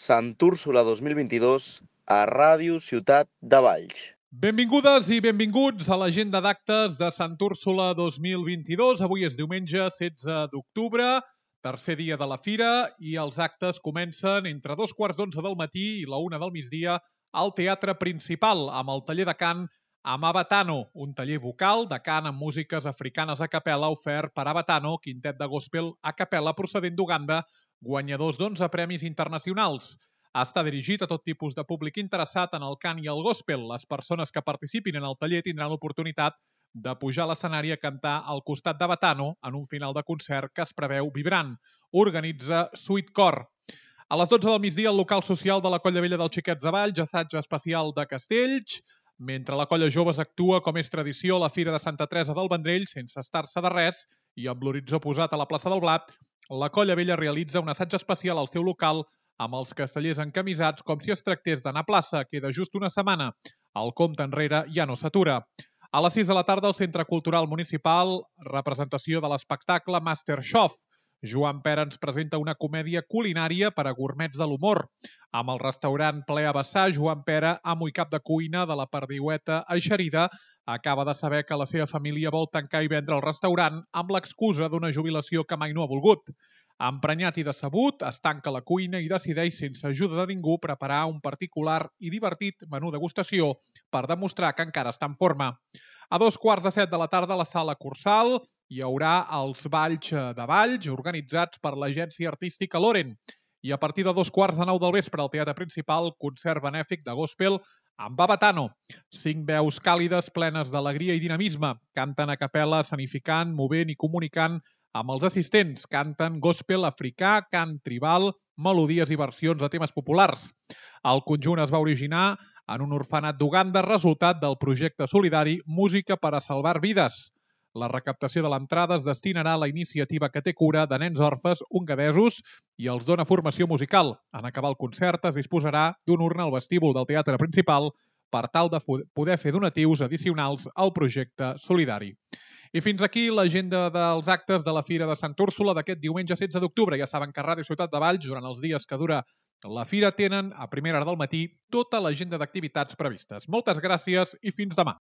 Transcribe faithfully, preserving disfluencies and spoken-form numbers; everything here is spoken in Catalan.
Sant Úrsula dos mil vint-i-dos a Ràdio Ciutat de Valls. Benvingudes i benvinguts a l'agenda d'actes de Sant Úrsula dos mil vint-i-dos. Avui és diumenge setze d'octubre, tercer dia de la fira, i els actes comencen entre dos quarts d'onze del matí i la una del migdia al Teatre Principal, amb el taller de cant Amabatano, un taller vocal de cant amb músiques africanes a capella ofert per Abatano, quintet de gospel a capella procedent d'Uganda, guanyadors d'onze premis internacionals. Està dirigit a tot tipus de públic interessat en el cant i el gospel. Les persones que participin en el taller tindran l'oportunitat de pujar a l'escenari a cantar al costat d'Abatano en un final de concert que es preveu vibrant. Organitza Sweet Cor. A les dotze del migdia, al local social de la Colla Vella dels Xiquets de Valls, assaig especial de castells. Mentre la Colla Joves actua, com és tradició, a la Fira de Santa Teresa del Vendrell, sense estar-se de res, i amb l'horitzó posat a la plaça del Blat, la Colla Vella realitza un assaig especial al seu local amb els castellers encamisats com si es tractés d'anar a plaça. Queda just una setmana. El compte enrere ja no s'atura. A les sis de la tarda, al Centre Cultural Municipal, representació de l'espectacle Masterchef. Joan Pera ens presenta una comèdia culinària per a gourmets de l'humor. Amb el restaurant ple a vessar, Joan Pera, amo i cap de cuina de la Perdiueta Eixerida, acaba de saber que la seva família vol tancar i vendre el restaurant amb l'excusa d'una jubilació que mai no ha volgut. Emprenyat i decebut, es tanca la cuina i decideix, sense ajuda de ningú, preparar un particular i divertit menú degustació per demostrar que encara està en forma. A dos quarts de set de la tarda, a la sala Cursal, hi haurà els balls de Valls organitzats per l'agència artística Loren. I a partir de dos quarts de nou del vespre al Teatre Principal, concert benèfic de gospel amb Abatano. Cinc veus càlides plenes d'alegria i dinamisme. Canten a capella escenificant, movent i comunicant amb els assistents. Canten gospel africà, cant tribal, melodies i versions de temes populars. El conjunt es va originar en un orfenat d'Uganda, resultat del projecte solidari Música per a Salvar Vides. La recaptació de l'entrada es destinarà a la iniciativa que té cura de nens orfes ungadesos i els dona formació musical. En acabar el concert es disposarà d'una urna al vestíbul del Teatre Principal per tal de poder fer donatius addicionals al projecte solidari. I fins aquí l'agenda dels actes de la Fira de Sant Úrsula d'aquest diumenge setze d'octubre. Ja saben que a Ràdio Ciutat de Valls, durant els dies que dura la fira, tenen a primera hora del matí tota l'agenda d'activitats previstes. Moltes gràcies i fins demà.